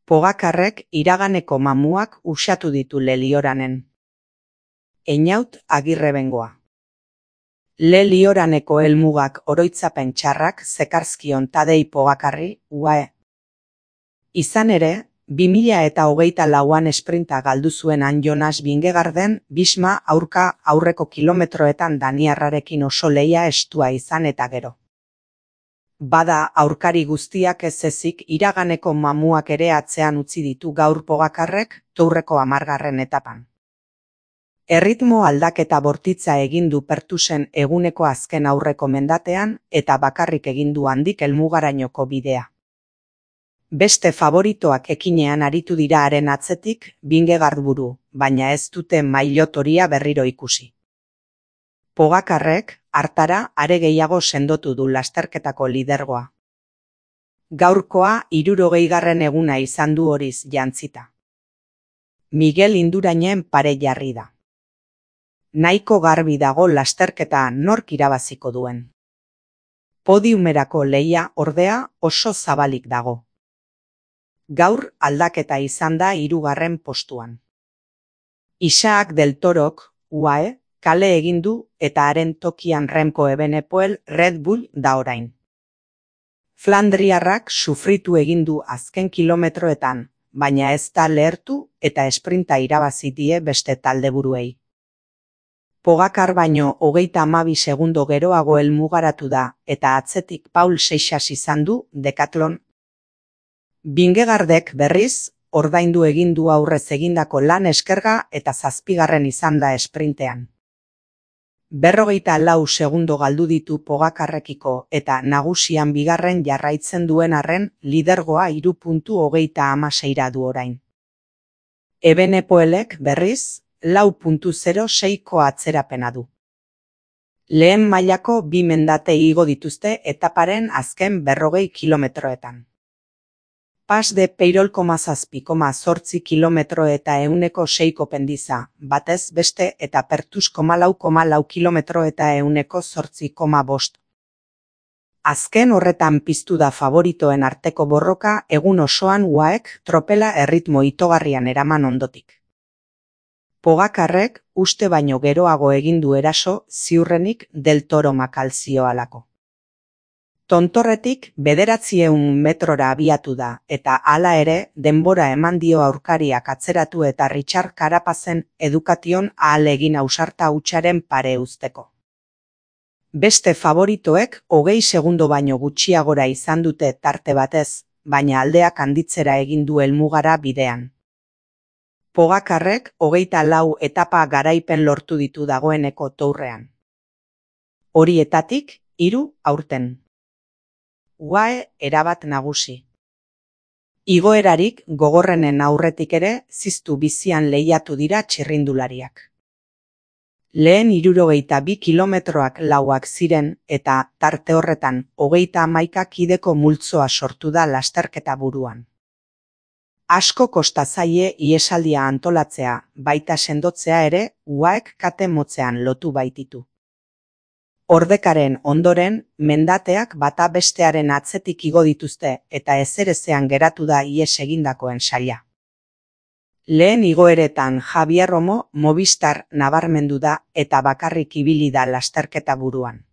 Pogakarrek iraganeko mamuak usatu ditu Lelioranen. Einaut Agirrebengoa. Lelioraneko helmugak oroitzapen txarrak zekarzkion Tadei Pogakarri, UAE. Izan ere, 2024an esprinta galdu zuenan Jonas Vingegaarden Bisma aurreko kilometroetan daniarrarekin oso lehia estua izan eta gero. Bada aurkari guztiak ez ezik iraganeko mamuak ere atzean utzi ditu gaur Pogakarrek Tourreko 10. etapan. Erritmo aldaketa bortitza egin du Pertusen eguneko azken aurreko mendatean eta bakarrik egin du handik helmugarainoko bidea. Beste favoritoak ekinean aritu dira haren atzetik Vingegaard buru, baina ez dute mailotoria berriro ikusi. Pogakarrek hartara are gehiago sendotu du lasterketako lidergoa. Gaurkoa 60. eguna izan du horiz jantzita. Miguel Indurainen pare jarri da. Nahiko garbi dago lasterketa nork irabaziko duen. Podiumerako lehia ordea oso zabalik dago. Gaur aldaketa izan da 3. postuan. Isaac del Torok, UAE, kale egin du eta haren tokian Remco Evenepoel Red Bull da orain. Flandriarrak sufritu egin du azken kilometroetan, baina ez da lehertu eta esprinta irabazi die beste taldeburuei. Pogacar baino 32 segundo geroago helmugaratu da eta atzetik Paul Seixas izan du Decathlon. Vingegaardek berriz, ordaindu egin du aurrez egindako lan eskerga eta 7. izan da esprintean. 44 segundo galdu ditu Pogakarrekiko eta nagusian 2. jarraitzen duen arren lidergoa 3.36 du orain. Evenepoelek berriz 4.06ko atzerapena du. Lehen mailako 2 mendate igo dituzte etaparen azken 40 kilometroetan. Pas de Peirol 7,8 kilometro eta 106ko pendiza, batez beste eta Pertus 4,4 kilometro eta 108,5. Azken horretan piztu da favoritoen arteko borroka egun osoan UAEk tropela erritmo itogarrian eraman ondotik. Pogakarrek uste baino geroago egin du eraso ziurrenik Del Toro makalzio alako. Tontorretik 900 metrora abiatu da eta hala ere denbora eman dio aurkariak atzeratu eta Richard Carapazen edukation ahal egin ausarta hutsaren pare uzteko. Beste favoritoek 20 segundo baino gutxiagora izan dute tarte batez, baina aldeak handitzera egin du helmugara bidean. Pogakarrek 24 etapa garaipen lortu ditu dagoeneko Tourrean. Horietatik 3 aurten. UAE erabat nagusi. Igoerarik gogorrenen aurretik ere ziztu bizian lehiatu dira txirrindulariak. Lehen 62 kilometroak lauak ziren eta tarte horretan 31 kideko multzoa sortu da lasterketa buruan. Asko kosta zaie iesaldia antolatzea, baita sendotzea ere UAEk kate motzean lotu baititu. Ordekaren ondoren, mendateak bata bestearen atzetik igo dituzte eta ezerezean geratu da ihes egindakoen saila. Lehen igoeretan Javier Romo Movistar nabarmendu da eta bakarrik ibili da lasterketa buruan.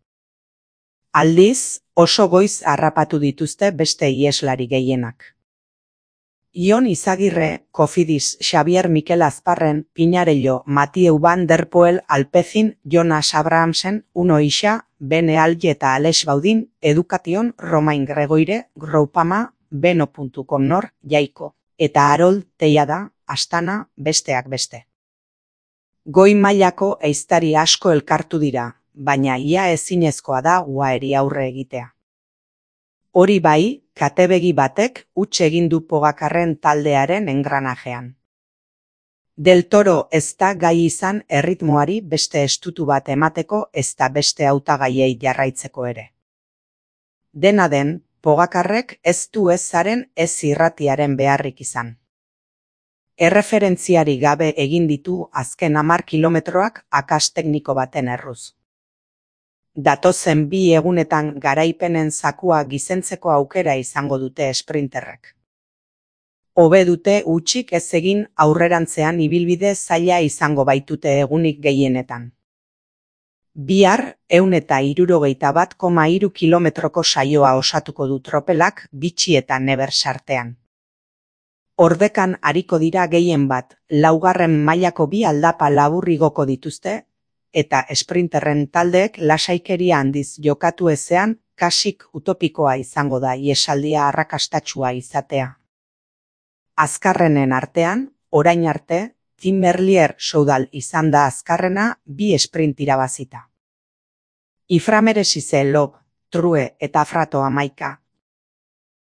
Aldiz, oso goiz harrapatu dituzte beste iheslari gehienak. Ion Izagirre, Cofidis, Xavier Mikel Azparren, Pinarello, Mathieu van der Poel, Alpecin, Jonas Abrahamsen, Uno Ixa, Bene Alge eta Alex Baudin, Education, Romain Gregoire, Groupama, Beno.com Jaiko, eta Harold Teiada, Astana, besteak beste. Goi mailako ehiztari asko elkartu dira, baina ia ezinezkoa da UAEri aurre egitea. Hori bai, katebegi batek huts egin du Pogakarren taldearen engranajean. Del Toro ez da gai izan erritmoari beste estutu bat emateko ezta beste hautagaiei jarraitzeko ere. Dena den, Pogakarrek ez du ez zaren ez irratiaren beharrik izan. Erreferentziari gabe egin ditu azken 10 kilometroak akas tekniko baten erruz. Datozen 2 egunetan garaipenen zakua gizentzeko aukera izango dute esprinterrek. Hobe dute hutsik ez egin aurrerantzean ibilbide zaila izango baitute egunik gehienetan. Bihar 161,3 kilometroko saioa osatuko du tropelak Bitxi eta Nevers artean. Ordekan ariko dira gehien bat, laugarren mailako bi aldapa labur igoko dituzte, eta esprinterren taldeek lasaikeria handiz jokatu ezean kasik utopikoa izango da iesaldia arrakastatsua izatea. Azkarrenen artean, orain arte, Tim Merlier Soudal izan da azkarrena 2 esprint irabazita. Iframeresize Lob, True eta Frato 11,